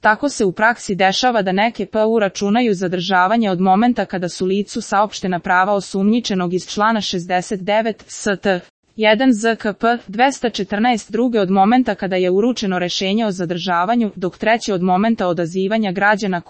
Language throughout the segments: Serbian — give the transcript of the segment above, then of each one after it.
Tako se u praksi dešava da neke PU računaju zadržavanje od momenta kada su licu saopštena prava osumnjičenog iz člana 69 ST. 1 ZKP 214, druge od momenta kada je uručeno rešenje o zadržavanju, dok treće od momenta odazivanja građana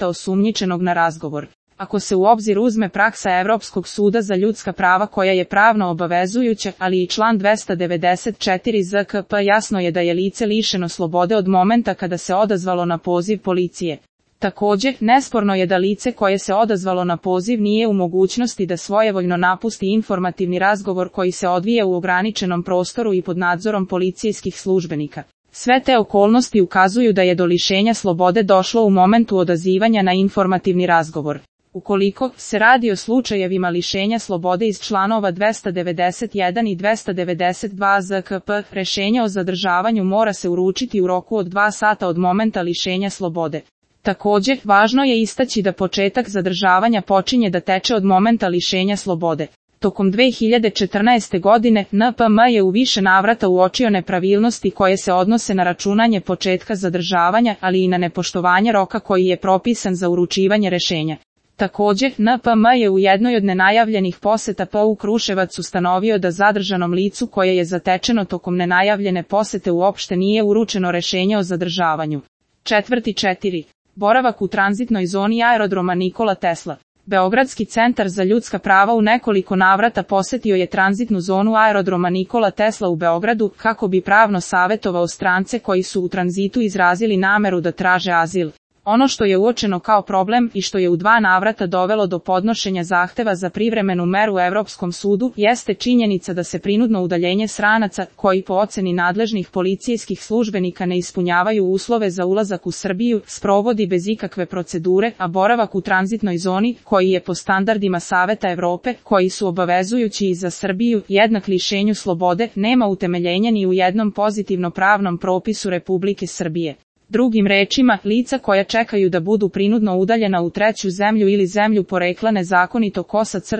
osumnjičenog na razgovor. Ako se u obzir uzme praksa Evropskog suda za ljudska prava koja je pravno obavezujuća, ali i član 294 ZKP, jasno je da je lice lišeno slobode od momenta kada se odazvalo na poziv policije. Također, nesporno je da lice koje se odazvalo na poziv nije u mogućnosti da svojevoljno napusti informativni razgovor koji se odvija u ograničenom prostoru i pod nadzorom policijskih službenika. Sve te okolnosti ukazuju da je do lišenja slobode došlo u momentu odazivanja na informativni razgovor. Ukoliko se radi o slučajevima lišenja slobode iz članova 291 i 292 ZKP, rešenje o zadržavanju mora se uručiti u roku od 2 sata od momenta lišenja slobode. Također, važno je istaći da početak zadržavanja počinje da teče od momenta lišenja slobode. Tokom 2014. godine, NPM je u više navrata uočio nepravilnosti koje se odnose na računanje početka zadržavanja, ali i na nepoštovanje roka koji je propisan za uručivanje rešenja. Također, NPM je u jednoj od nenajavljenih poseta PU Kruševac ustanovio da zadržanom licu koje je zatečeno tokom nenajavljene posete uopšte nije uručeno rešenje o zadržavanju. 4. Boravak u tranzitnoj zoni aerodroma Nikola Tesla. Beogradski centar za ljudska prava u nekoliko navrata posetio je tranzitnu zonu aerodroma Nikola Tesla u Beogradu kako bi pravno savetovao strance koji su u tranzitu izrazili nameru da traže azil. Ono što je uočeno kao problem i što je u 2 navrata dovelo do podnošenja zahteva za privremenu meru u Evropskom sudu jeste činjenica da se prinudno udaljenje stranaca, koji po oceni nadležnih policijskih službenika ne ispunjavaju uslove za ulazak u Srbiju, sprovodi bez ikakve procedure, a boravak u tranzitnoj zoni, koji je po standardima Saveta Evrope, koji su obavezujući i za Srbiju, jednak lišenju slobode, nema utemeljenja ni u jednom pozitivno pravnom propisu Republike Srbije. Drugim rečima, lica koja čekaju da budu prinudno udaljena u treću zemlju ili zemlju porekla nezakonito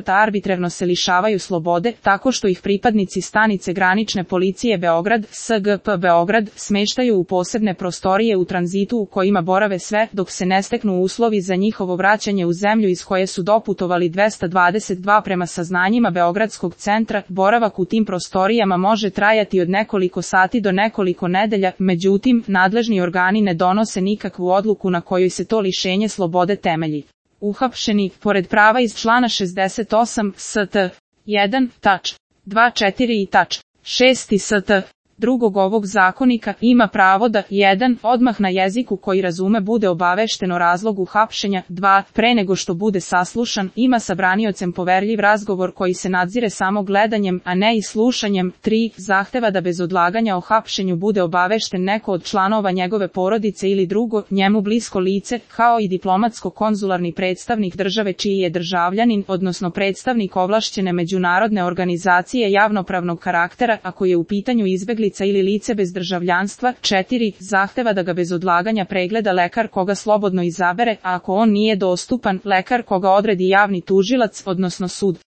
arbitrarno se lišavaju slobode, tako što ih pripadnici stanice granične policije Beograd, SGP Beograd, smeštaju u posebne prostorije u tranzitu u kojima borave sve, dok se ne steknu uslovi za njihovo vraćanje u zemlju iz koje su doputovali. 222 Prema saznanjima Beogradskog centra, boravak u tim prostorijama može trajati od nekoliko sati do nekoliko nedelja, međutim, nadležni organi ne donose nikakvu odluku na kojoj se to lišenje slobode temelji. Uhapšeni, pored prava iz člana 68 ST. 1, tač. 2.4 i tač. 6 ST. Drugog ovog zakonika ima pravo da 1. odmah na jeziku koji razume bude obavešten o razlogu hapšenja, 2. pre nego što bude saslušan, ima sa braniocem poverljiv razgovor koji se nadzire samo gledanjem, a ne i slušanjem, 3. zahteva da bez odlaganja o hapšenju bude obavešten neko od članova njegove porodice ili drugo, njemu blisko lice, kao i diplomatsko-konzularni predstavnik države čiji je državljanin, odnosno predstavnik ovlašćene međunarodne organizacije javnopravnog karaktera, ako je u pitanju izbegli ili lice bez državljanstva. 4. zahteva da ga bez odlaganja pregleda lekar koga slobodno izabere, a ako on nije dostupan, lekar koga odredi javni tužilac, odnosno sud.